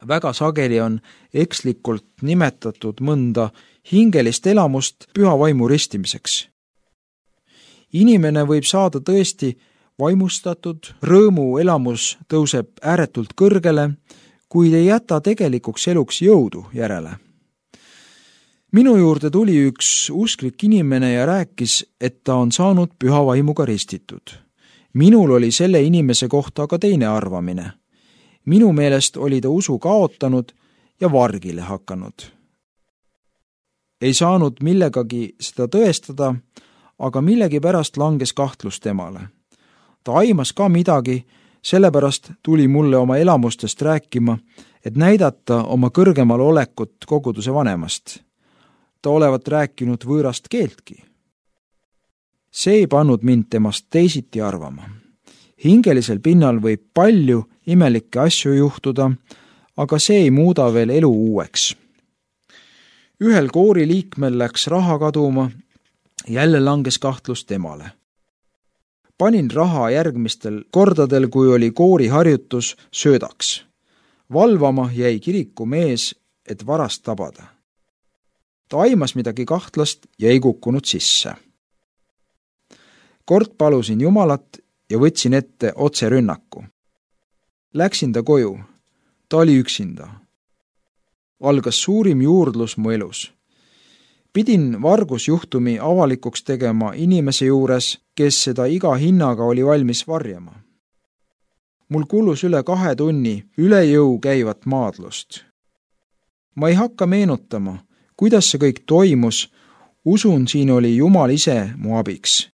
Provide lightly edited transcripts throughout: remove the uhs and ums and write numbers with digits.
Väga sageli on ekslikult nimetatud mõnda hingelist elamust püha vaimu ristimiseks. Inimene võib saada tõesti vaimustatud, rõõmu elamus tõuseb ääretult kõrgele, kuid ei jäta tegelikuks eluks jõudu järele. Minu juurde tuli üks usklik inimene ja rääkis, et ta on saanud püha vaimuga ristitud. Minul oli selle inimese kohta aga teine arvamine. Minu meelest oli ta usu kaotanud ja vargile hakanud. Ei saanud millegagi seda tõestada, aga millegipärast langes kahtlus temale. Ta aimas ka midagi, sellepärast tuli mulle oma elamustest rääkima, et näidata oma kõrgemal olekut koguduse vanemast. Ta olevat rääkinud võõrast keeltki. See ei pannud mind temast teisiti arvama. Hingelisel pinnal võib palju imelikke asju juhtuda, aga see ei muuda veel elu uueks. Ühel koori liikmel läks raha kaduma, jälle langes kahtlus temale. Panin raha järgmistel kordadel, kui oli koori harjutus, söödaks. Valvama jäi kiriku mees, et varast tabada. Ta aimas midagi kahtlast ja ei kukkunud sisse. Kord palusin Jumalat ja võtsin ette otse rünnaku. Läksin ta koju. Ta oli üksinda. Algas suurim juurdlus mu elus. Pidin vargusjuhtumi avalikuks tegema inimese juures, kes seda iga hinnaga oli valmis varjama. Mul kulus üle 2 tunni üle jõu käivat maadlust. Ma ei hakka meenutama, kuidas see kõik toimus, usun, siin oli Jumal ise mu abiks.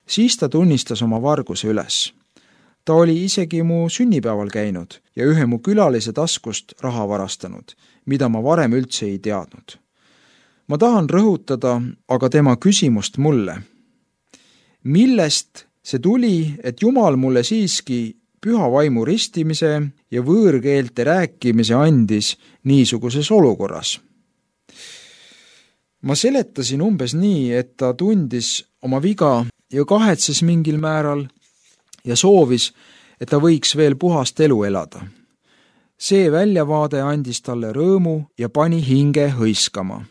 Siis ta tunnistas oma varguse üles. Ta oli isegi mu sünnipäeval käinud ja ühe mu külalise taskust raha varastanud, mida ma varem üldse ei teadnud. Ma tahan rõhutada aga tema küsimust mulle. Millest see tuli, et Jumal mulle siiski püha vaimu ristimise ja võõrkeelte rääkimise andis niisuguses olukorras? Ma seletasin umbes nii, et ta tundis oma viga ja kahetses mingil määral ja soovis, et ta võiks veel puhast elu elada. See väljavaade andis talle rõõmu ja pani hinge hõiskama.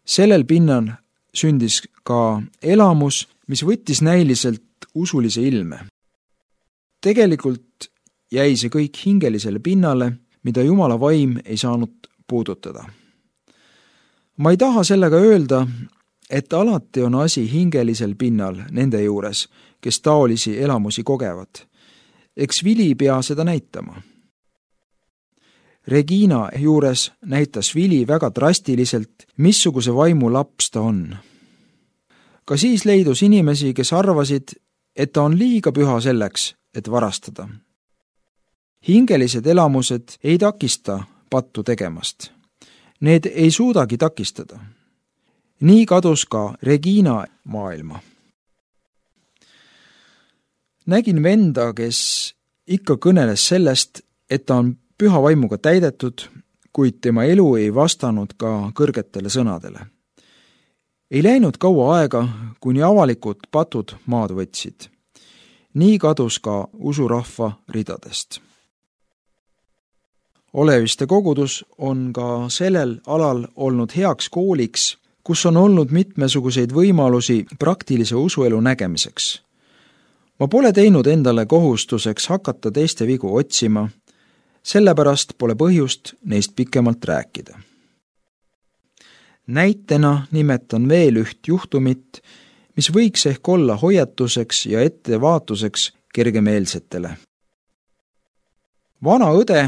Sellel pinnal sündis ka elamus, mis võttis näiliselt usulise ilme. Tegelikult jäi see kõik hingelisele pinnale, mida Jumala vaim ei saanud puudutada. Ma ei taha sellega öelda, et alati on asi hingelisel pinnal nende juures, kes taolisi elamusi kogevad. Eks Vili pea seda näitama. Regina juures näitas Vili väga drastiliselt, missuguse vaimu laps ta on. Ka siis leidus inimesi, kes arvasid, et ta on liiga püha selleks, et varastada. Hingelised elamused ei takista pattu tegemast. Need ei suudagi takistada. Nii kadus ka Regina maailma. Nägin venda, kes ikka kõneles sellest, et ta on püha vaimuga täidetud, kuid tema elu ei vastanud ka kõrgetele sõnadele. Ei läinud kaua aega, kuni avalikud patud maad võtsid. Nii kadus ka usurahva ridadest. Oleviste kogudus on ka sellel alal olnud heaks kooliks, kus on olnud mitmesuguseid võimalusi praktilise usuelu nägemiseks. Ma pole teinud endale kohustuseks hakata teiste vigu otsima, sellepärast pole põhjust neist pikemalt rääkida. Näitena nimetan veel üht juhtumit, mis võiks ehk olla hoiatuseks ja ettevaatuseks kergemeelsetele. Vana õde,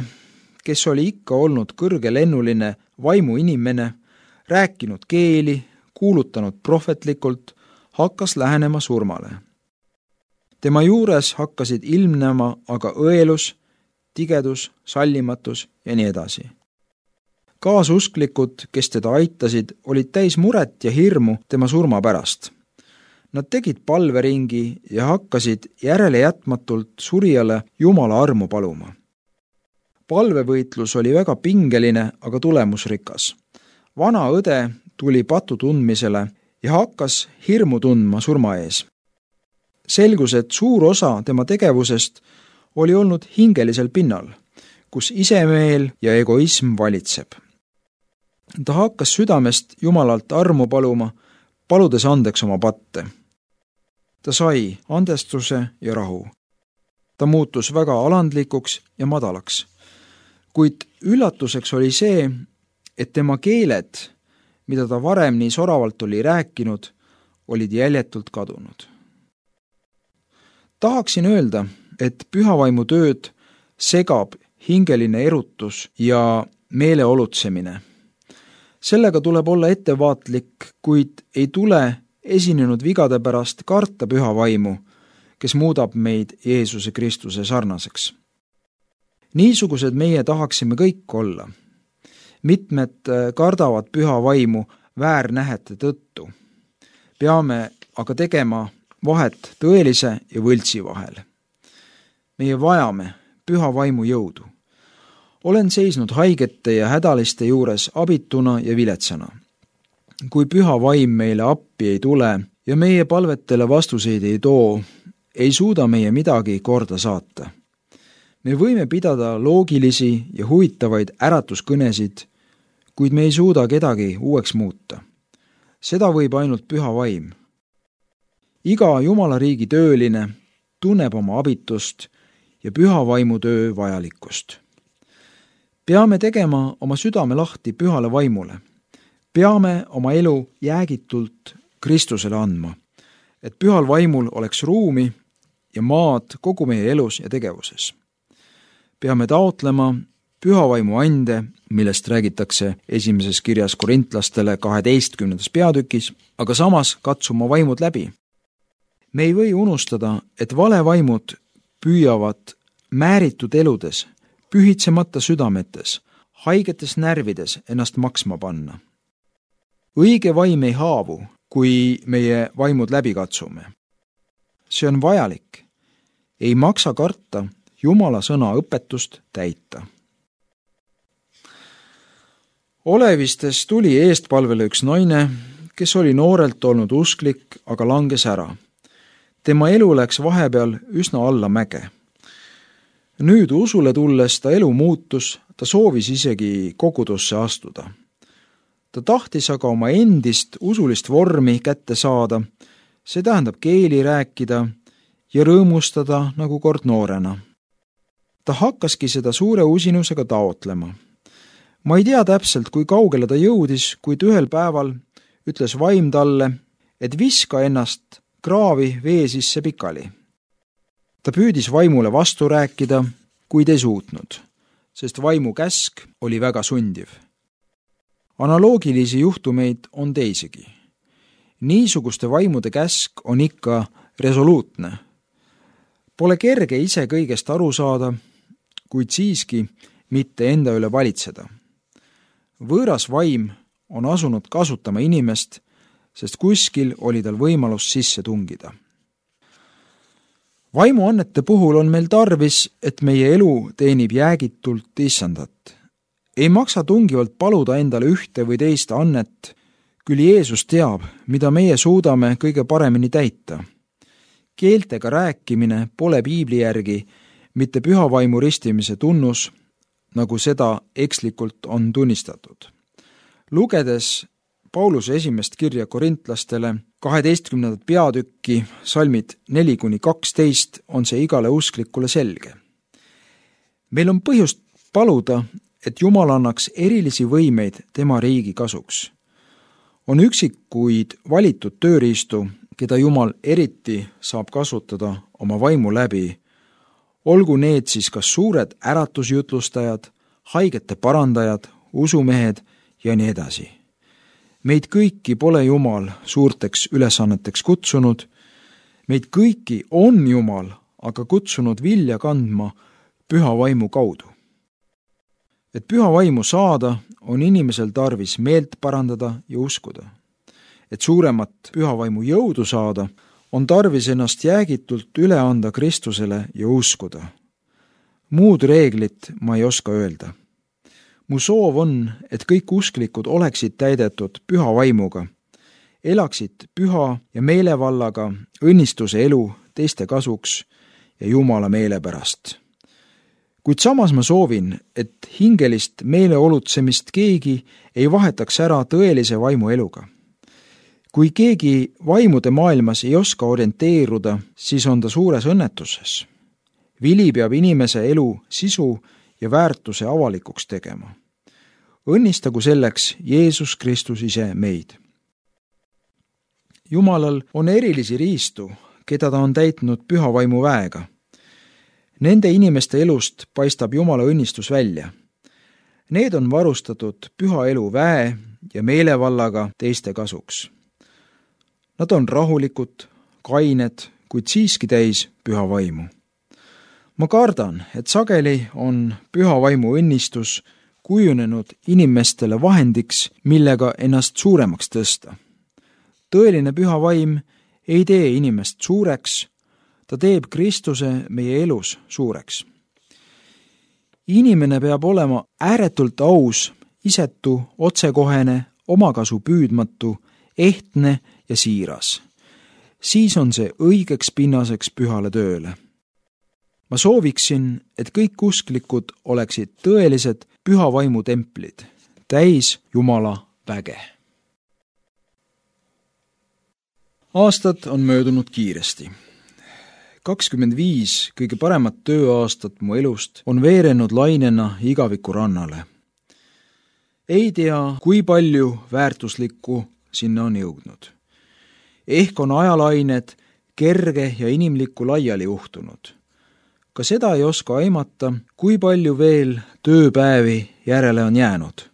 kes oli ikka olnud kõrgelennuline vaimuinimene, rääkinud keeli, kuulutanud prohvetlikult, hakkas lähenema surmale. Tema juures hakkasid ilmnema aga õelus, tigedus, sallimatus ja nii edasi. Kaasusklikud, kes teda aitasid, olid täis muret ja hirmu tema surma pärast. Nad tegid palveringi ja hakkasid järelejätmatult surijale Jumala armu paluma. Palvevõitlus oli väga pingeline, aga tulemusrikas. Vana õde tuli patu tundmisele ja hakkas hirmu tundma surma ees. Selgus, et suur osa tema tegevusest oli olnud hingelisel pinnal, kus isemeel ja egoism valitseb. Ta hakkas südamest Jumalalt armu paluma, paludes andeks oma patte. Ta sai andestuse ja rahu. Ta muutus väga alandlikuks ja madalaks. Kuid üllatuseks oli see, et tema keeled, mida ta varem nii soravalt oli rääkinud, olid jäljetult kadunud. Tahaksin öelda, et pühavaimu tööd segab hingeline erutus ja meeleolutsemine. Sellega tuleb olla ettevaatlik, kuid ei tule esinenud vigade pärast karta pühavaimu, kes muudab meid Jeesuse Kristuse sarnaseks. Niisugused meie tahaksime kõik olla. Mitmed kardavad pühavaimu väärnähete tõttu. Peame aga tegema vahet tõelise ja võltsi vahel. Meie vajame pühavaimu jõudu. Olen seisnud haigete ja hädaliste juures abituna ja viletsana. Kui pühavaim meile appi ei tule ja meie palvetele vastuseid ei too, ei suuda meie midagi korda saata. Me võime pidada loogilisi ja huvitavaid äratuskõnesid, kuid me ei suuda kedagi uueks muuta. Seda võib ainult pühavaim. Iga Jumala riigi tööline tunneb oma abitust ja pühavaimu töö vajalikkust. Peame tegema oma südame lahti pühale vaimule. Peame oma elu jäägitult Kristusele andma, et pühal vaimul oleks ruumi ja maad kogu meie elus ja tegevuses. Peame taotlema pühavaimu ande, millest räägitakse esimeses kirjas korintlastele 12. peatükis, aga samas katsuma vaimud läbi. Me ei või unustada, et valevaimud püüavad määritud eludes, pühitsemata südametes, haigetes närvides ennast maksma panna. Õige vaim ei haavu, kui meie vaimud läbi katsume. See on vajalik. Ei maksa karta Jumala sõna õpetust täita. Olevistes tuli eestpalvele üks naine, kes oli noorelt olnud usklik, aga langes ära. Tema elu läks vahepeal üsna alla mäge. Nüüd usule tulles ta elu muutus, ta soovis isegi kogudusse astuda. Ta tahtis aga oma endist usulist vormi kätte saada, see tähendab keeli rääkida ja rõõmustada nagu kord noorena. Ta hakkaski seda suure usinusega taotlema. Ma ei tea täpselt, kui kaugele ta jõudis, kuid ühel päeval ütles vaim talle, et viska ennast kraavi vee sisse pikali. Ta püüdis vaimule vastu rääkida, kuid ei suutnud, sest vaimu käsk oli väga sundiv. Analoogilisi juhtumeid on teisigi. Niisuguste vaimude käsk on ikka resoluutne. Pole kerge ise kõigest aru saada, kuid siiski mitte enda üle valitseda. Võõras vaim on asunud kasutama inimest, sest kuskil oli tal võimalus sisse tungida. Vaimuannete puhul on meil tarvis, et meie elu teenib jäägitult issandat. Ei maksa tungivalt paluda endale ühte või teist annet, küll Jeesus teab, mida meie suudame kõige paremini täita. Keeltega rääkimine pole piibli järgi mitte pühavaimu ristimise tunnus, nagu seda ekslikult on tunnistatud. Lugedes Pauluse esimest kirja korintlastele 12. peatükki, salmid 4-12, on see igale usklikule selge. Meil on põhjust paluda, et Jumal annaks erilisi võimeid tema riigi kasuks. On üksikuid valitud tööriistu, keda Jumal eriti saab kasutada oma vaimu läbi, olgu need siis kas suured äratusjutlustajad, haigete parandajad, usumehed ja nii edasi. Meid kõiki pole Jumal suurteks ülesanneteks kutsunud, meid kõiki on Jumal aga kutsunud vilja kandma püha vaimu kaudu. Et püha vaimu saada, on inimesel tarvis meelt parandada ja uskuda. Et suuremat püha vaimu jõudu saada, on tarvis ennast jäägitult üle anda Kristusele ja uskuda. Muud reeglit ma ei oska öelda. Mu soov on, et kõik usklikud oleksid täidetud püha vaimuga, elaksid püha ja meelevallaga õnnistuse elu teiste kasuks ja Jumala meele pärast. Kuid samas ma soovin, et hingelist meeleolutsemist keegi ei vahetaks ära tõelise vaimu eluga. Kui keegi vaimude maailmas ei oska orienteeruda, siis on ta suures õnnetuses. Vili peab inimese elu sisu ja väärtuse avalikuks tegema. Õnnistagu selleks Jeesus Kristus ise meid. Jumalal on erilisi riistu, keda ta on täitnud püha vaimu väega. Nende inimeste elust paistab Jumala õnnistus välja. Need on varustatud püha elu väe ja meelevallaga teiste kasuks. Nad on rahulikud, kained, kuid siiski täis püha vaimu. Ma kardan, et sageli on püha vaimu õnnistus kujunenud inimestele vahendiks, millega ennast suuremaks tõsta. Tõeline püha vaim ei tee inimest suureks, ta teeb Kristuse meie elus suureks. Inimene peab olema ääretult aus, isetu, otsekohene, omakasu püüdmatu, ehtne ja siiras. Siis on see õigeks pinnaseks pühale tööle. Ma sooviksin, et kõik usklikud oleksid tõelised püha vaimu templid, täis Jumala väge. Aastad on möödunud kiiresti. 25 kõige paremat tööaastat mu elust on veerenud lainena igaviku rannale. Ei tea, kui palju väärtuslikku sinna on jõudnud. Ehk on ajalained kerge ja inimlikku laiali juhtunud. Ka seda ei oska aimata, kui palju veel tööpäevi järele on jäänud.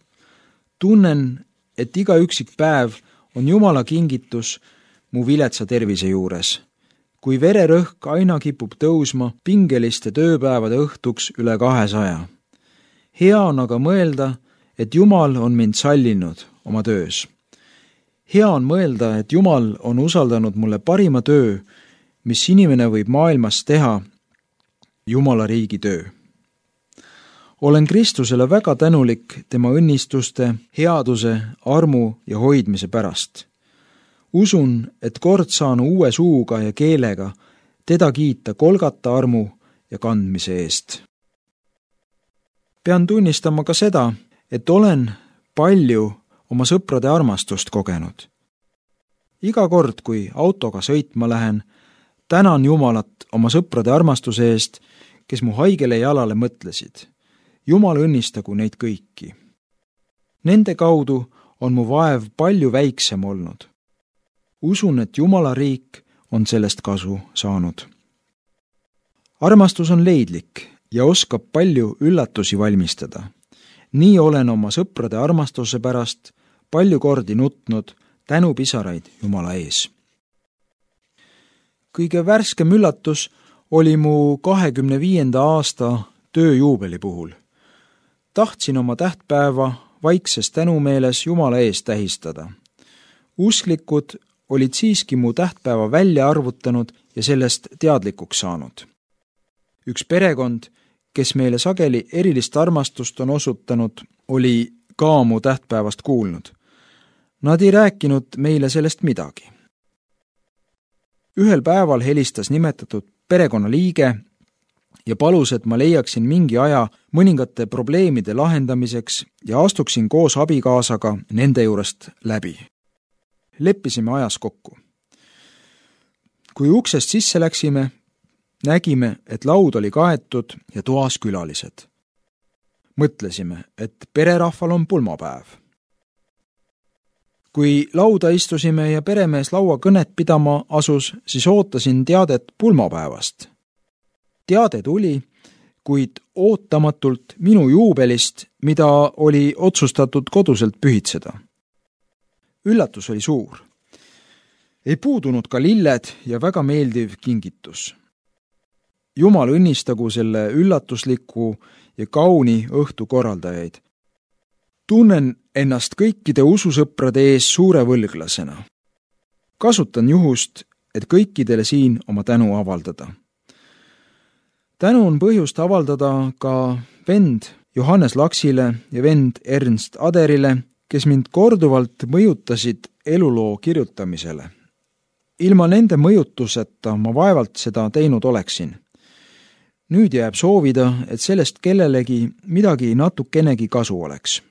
Tunnen, et iga üksik päev on Jumala kingitus mu viletsa tervise juures. Kui vererõhk aina kipub tõusma pingeliste tööpäevade õhtuks üle 200. Hea on aga mõelda, et Jumal on mind sallinud oma töös. Hea on mõelda, et Jumal on usaldanud mulle parima töö, mis inimene võib maailmas teha, Jumala riigi töö. Olen Kristusele väga tänulik tema õnnistuste, headuse, armu ja hoidmise pärast. Usun, et kord saan uue suuga ja keelega teda kiita Golgata armu ja kandmise eest. Pean tunnistama ka seda, et olen palju oma sõprade armastust kogenud. Iga kord, kui autoga sõitma lähen, tänan Jumalat oma sõprade armastuse eest, kes mu haigele jalale mõtlesid. Jumal õnnistagu neid kõiki. Nende kaudu on mu vaev palju väiksem olnud. Usun, et Jumala riik on sellest kasu saanud. Armastus on leidlik ja oskab palju üllatusi valmistada. Nii olen oma sõprade armastuse pärast palju kordi nutnud tänupisaraid Jumala ees. Kõige värskem üllatus oli mu 25. aasta tööjuubeli puhul. Tahtsin oma tähtpäeva vaikses tänumeeles Jumala ees tähistada. Usklikud olid siiski mu tähtpäeva välja arvutanud ja sellest teadlikuks saanud. Üks perekond, kes meile sageli erilist armastust on osutanud, oli ka mu tähtpäevast kuulnud. Nad ei rääkinud meile sellest midagi. Ühel päeval helistas nimetatud perekonnaliige ja palus, et ma leiaksin mingi aja mõningate probleemide lahendamiseks ja astuksin koos abikaasaga nende juurest läbi. Leppisime ajas kokku. Kui uksest sisse läksime, nägime, et laud oli kaetud ja toas külalised. Mõtlesime, et pererahval on pulmapäev. Kui lauda istusime ja peremees laua kõnet pidama asus, siis ootasin teadet pulmapäevast. Teade tuli, kuid ootamatult minu juubelist, mida oli otsustatud koduselt pühitseda. Üllatus oli suur. Ei puudunud ka lilled ja väga meeldiv kingitus. Jumal õnnistagu selle üllatusliku ja kauni õhtu korraldajaid. Tunnen ennast kõikide ususõprade ees suure võlglasena. Kasutan juhust, et kõikidele siin oma tänu avaldada. Tänu on põhjust avaldada ka vend Johannes Laksile ja vend Ernst Aderile, kes mind korduvalt mõjutasid eluloo kirjutamisele. Ilma nende mõjutuseta ma vaevalt seda teinud oleksin. Nüüd jääb soovida, et sellest kellelegi midagi natukenegi kasu oleks.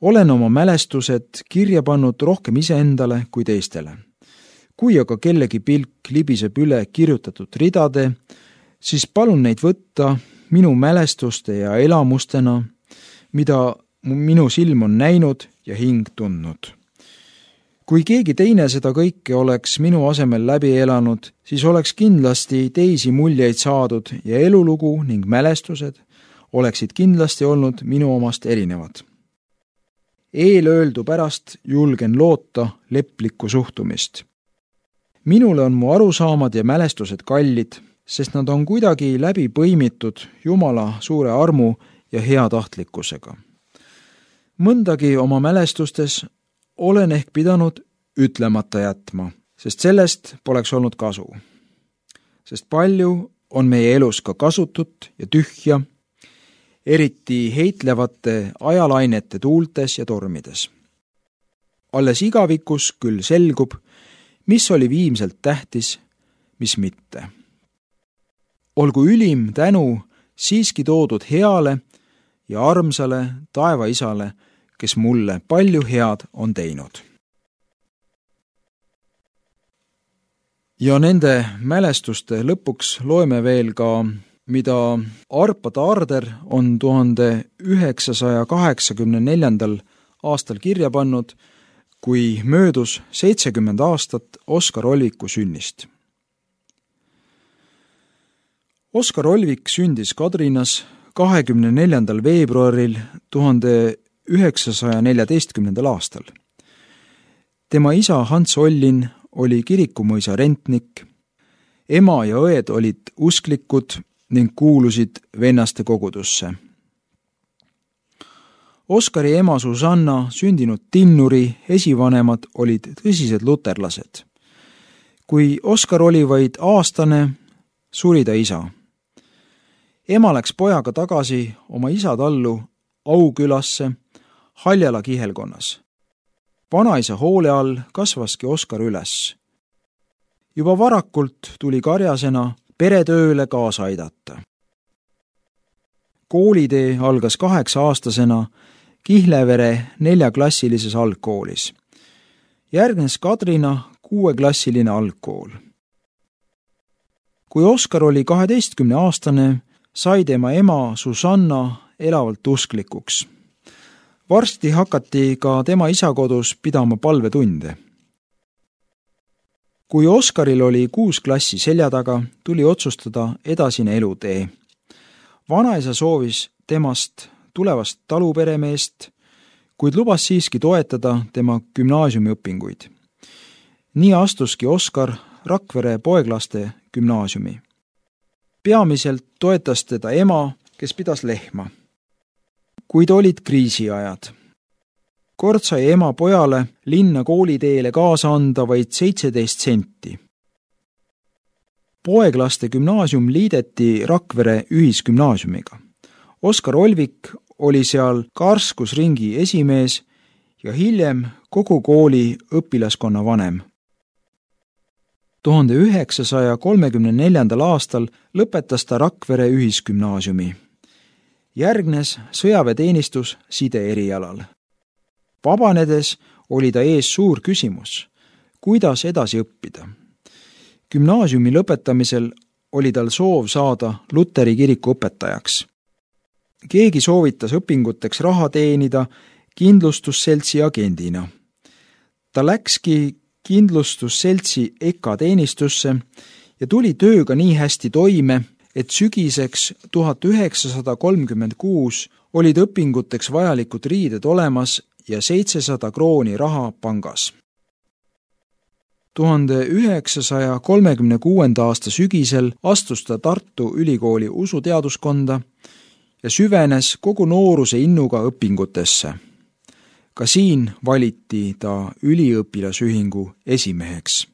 Olen oma mälestused kirja pannud rohkem iseendale kui teistele. Kui aga kellegi pilk libiseb üle kirjutatud ridade, siis palun neid võtta minu mälestuste ja elamustena, mida minu silm on näinud ja hing tundnud. Kui keegi teine seda kõike oleks minu asemel läbi elanud, siis oleks kindlasti teisi muljeid saadud ja elulugu ning mälestused oleksid kindlasti olnud minu omast erinevad. Eelöeldu pärast julgen loota leplikku suhtumist. Minule on mu arusaamad ja mälestused kallid, sest nad on kuidagi läbi põimitud Jumala suure armu ja heatahtlikkusega. Mõndagi oma mälestustes olen ehk pidanud ütlemata jätma, sest sellest poleks olnud kasu. Sest palju on meie elus ka kasutut ja tühja, eriti heitlevate ajalainete tuultes ja tormides. Alles igavikus küll selgub, mis oli viimselt tähtis, mis mitte. Olgu ülim tänu siiski toodud heale ja armsale taevaisale, kes mulle palju head on teinud. Ja nende mälestuste lõpuks loeme veel ka, mida Arpa Taarder on 1984. aastal kirja pannud, kui möödus 70 aastat Oskar Olviku sünnist. Oskar Olvik sündis Kadrinas 24. veebruaril 1914. aastal. Tema isa Hans Ollin oli Kirikumõisa rentnik, ema ja õed olid usklikud ning kuulusid vennaste kogudusse. Oskari ema Susanna, sündinud Tinnuri esivanemad olid tõsised luterlased. Kui Oskar oli vaid aastane, suri ta isa. Ema läks pojaga tagasi oma isa tallu Aukülasse Haljala kihelkonnas. Vanaisa hoole all kasvaski Oskar üles. Juba varakult tuli karjasena peretööle kaasa aidata. Koolitee algas 8-aastasena Kihlevere 4-klassilises algkoolis. Järgnes Kadrina 6-klassiline algkool. Kui Oskar oli 12-aastane, sai tema ema Susanna elavalt usklikuks. Varsti hakati ka tema isa kodus pidama palvetunde. Kui Oskaril oli 6 klassi selja taga, tuli otsustada edasine elutee. Vanaisa soovis temast tulevast taluperemeest, kuid lubas siiski toetada tema gümnaasiumiõpinguid. Nii astuski Oskar Rakvere poeglaste gümnaasiumi. Peamiselt toetas teda ema, kes pidas lehma. Kuid olid kriisiajad. Kord sai ema pojale linna kooliteele kaasa anda vaid 17 senti. Poeglaste gümnaasium liideti Rakvere ühisgümnaasiumiga. Oskar Olvik oli seal karskusringi esimees ja hiljem kogu kooli õpilaskonna vanem. 1934. aastal lõpetas ta Rakvere ühisgümnaasiumi. Järgnes sõjaväeteenistus side erialal. Vabanedes oli ta ees suur küsimus, kuidas edasi õppida. Gümnaasiumi lõpetamisel oli tal soov saada Luteri kiriku õpetajaks. Keegi soovitas õpinguteks raha teenida kindlustusseltsi agendina. Ta läkski kindlustusseltsi EKA teenistusse ja tuli tööga nii hästi toime, et sügiseks 1936 olid õpinguteks vajalikud riided olemas ja 700 krooni raha pangas. 1936. aasta sügisel astus ta Tartu Ülikooli usuteaduskonda ja süvenes kogu nooruse innuga õpingutesse. Ka siin valiti ta üliõpilasühingu esimeheks.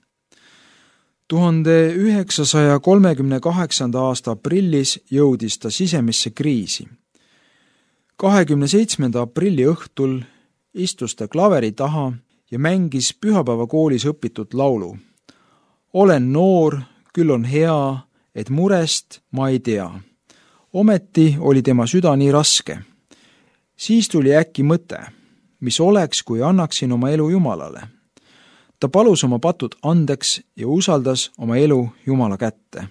1938. aasta aprillis jõudis ta sisemisse kriisi. 27. aprilli õhtul istus ta klaveri taha ja mängis pühapäevakoolis õpitud laulu. Olen noor, küll on hea, et murest ma ei tea. Ometi oli tema süda nii raske. Siis tuli äkki mõte, mis oleks, kui annaksin oma elu Jumalale. Ta palus oma patud andeks ja usaldas oma elu Jumala kätte.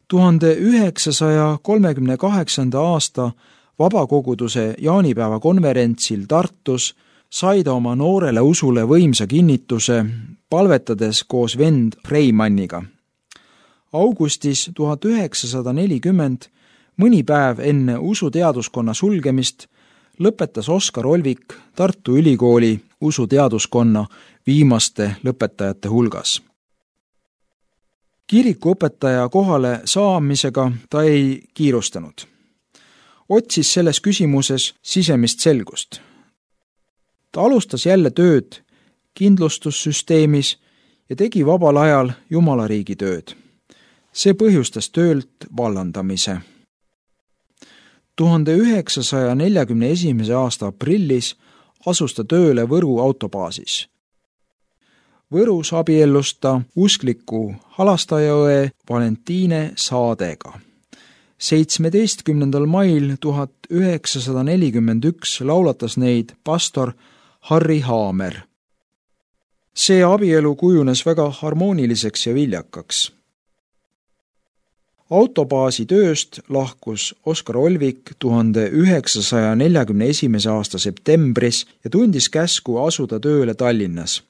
1938. aasta vabakoguduse jaanipäeva konverentsil Tartus sai ta oma noorele usule võimsa kinnituse, palvetades koos vend Freimanniga. Augustis 1940, mõni päev enne usuteaduskonna sulgemist, lõpetas Oskar Olvik Tartu Ülikooli usuteaduskonna viimaste lõpetajate hulgas. Kirikuõpetaja kohale saamisega ta ei kiirustanud. Otsis selles küsimuses sisemist selgust. Ta alustas jälle tööd kindlustussüsteemis ja tegi vabal ajal Jumalariigi tööd. See põhjustas töölt vallandamise. 1941. aasta aprillis asus ta tööle Võru autobaasis. Võrus abiellus ta uskliku Halastajaõe Valentiine Saadega. 17. mail 1941 laulatas neid pastor Harri Haamer. See abielu kujunes väga harmooniliseks ja viljakaks. Autobaasi tööst lahkus Oskar Olvik 1941. aasta septembris ja tundis käsku asuda tööle Tallinnas.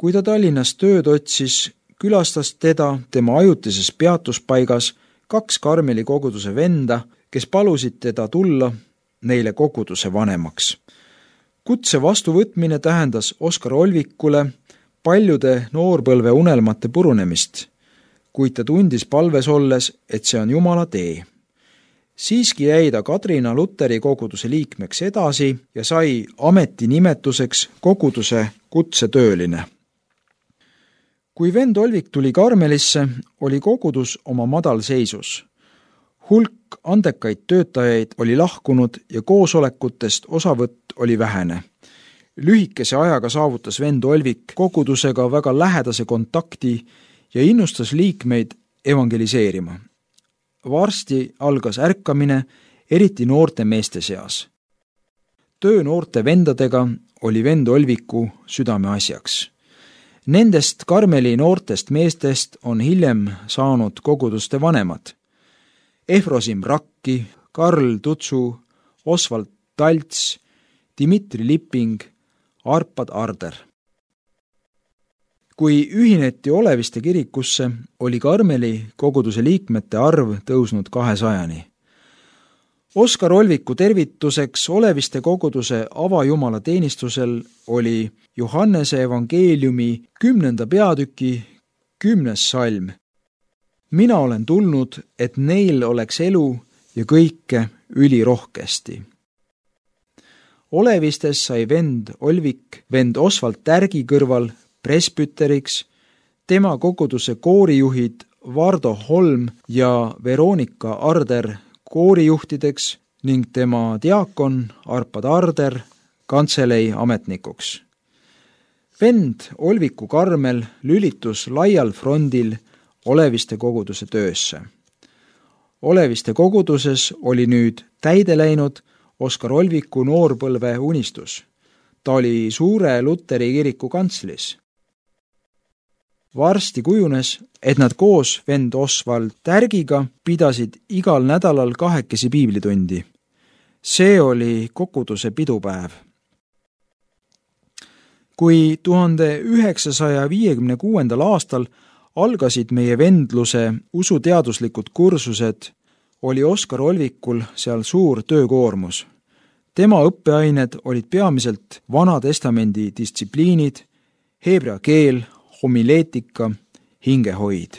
Kui ta Tallinnas tööd otsis, külastas teda tema ajutises peatuspaigas 2 Karmeli koguduse venda, kes palusid teda tulla neile koguduse vanemaks. Kutse vastuvõtmine tähendas Oskar Olvikule paljude noorpõlve unelmate purunemist, kuid ta tundis palves olles, et see on Jumala tee. Siiski jäi ta Kadrina Luteri koguduse liikmeks edasi ja sai ametinimetuseks koguduse kutsetööline. Kui vend Olvik tuli Karmelisse, oli kogudus oma madalseisus. Hulk andekaid töötajaid oli lahkunud ja koosolekutest osavõtt oli vähene. Lühikese ajaga saavutas vend Olvik kogudusega väga lähedase kontakti ja innustas liikmeid evangeliseerima. Varsti algas ärkamine, eriti noorte meeste seas. Töö noorte vendadega oli vend Olviku südameasjaks. Nendest Karmeli noortest meestest on hiljem saanud koguduste vanemad. Efrosim Rakki, Karl Tutsu, Osvald Talts, Dmitri Lipping, Arpad Arder. Kui ühineti Oleviste kirikusse, oli Karmeli koguduse liikmete arv tõusnud 200-ni. Oskar Olviku tervituseks Oleviste koguduse avajumala teenistusel oli Johannese evangeeliumi 10. peatüki 10. salm. Mina olen tulnud, et neil oleks elu ja kõike ülirohkesti. Olevistes sai vend Olvik vend Osvald Tärgi kõrval presbüteriks, tema koguduse koorijuhid Vardo Holm ja Veronika Arder koorijuhtideks ning tema diakon Arpad Arder kantselei ametnikuks. Vend Olviku Karmel lülitus laial frondil Oleviste koguduse töösse. Oleviste koguduses oli nüüd täide läinud Oskar Olviku noorpõlve unistus. Ta oli suure Luteri kiriku kantslis. Varsti kujunes, et nad koos vend Osvald Tärgiga pidasid igal nädalal 2 piiblitundi. See oli koguduse pidupäev. Kui 1956. aastal algasid meie vendluse usuteaduslikud kursused, oli Oskar Olvikul seal suur töökoormus. Tema õppeained olid peamiselt Vana Testamendi distsipliinid, heebrea keel, homileetika, hingehoid.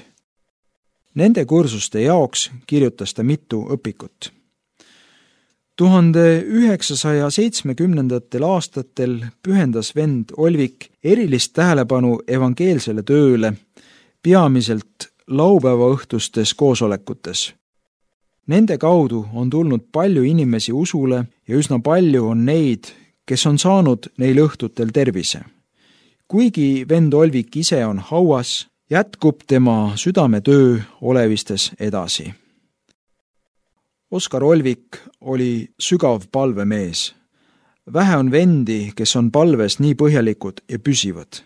Nende kursuste jaoks kirjutas ta mitu õpikut. 1970. aastatel pühendas vend Olvik erilist tähelepanu evangeelsele tööle, peamiselt laupäevaõhtustes koosolekutes. Nende kaudu on tulnud palju inimesi usule ja üsna palju on neid, kes on saanud neil õhtutel tervise. Kuigi vend Olvik ise on hauas jätkub tema südametöö olevistes edasi. Oskar Olvik oli sügav palvemees. Vähe on vendi, kes on palves nii põhjalikud ja püsivad.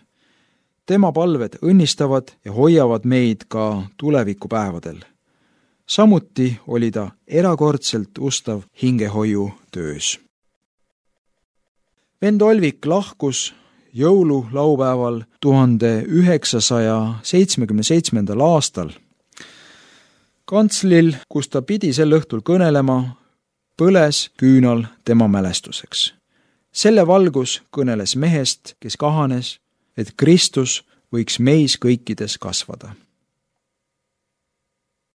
Tema palved õnnistavad ja hoiavad meid ka tulevikupäevadel. Samuti oli ta erakordselt ustav hingehoiu töös. Vend Olvik lahkus jõululaupäeval 1977. aastal. Kantslil, kus ta pidi sel õhtul kõnelema, põles küünal tema mälestuseks. Selle valgus kõneles mehest, kes kahanes, et Kristus võiks meis kõikides kasvada.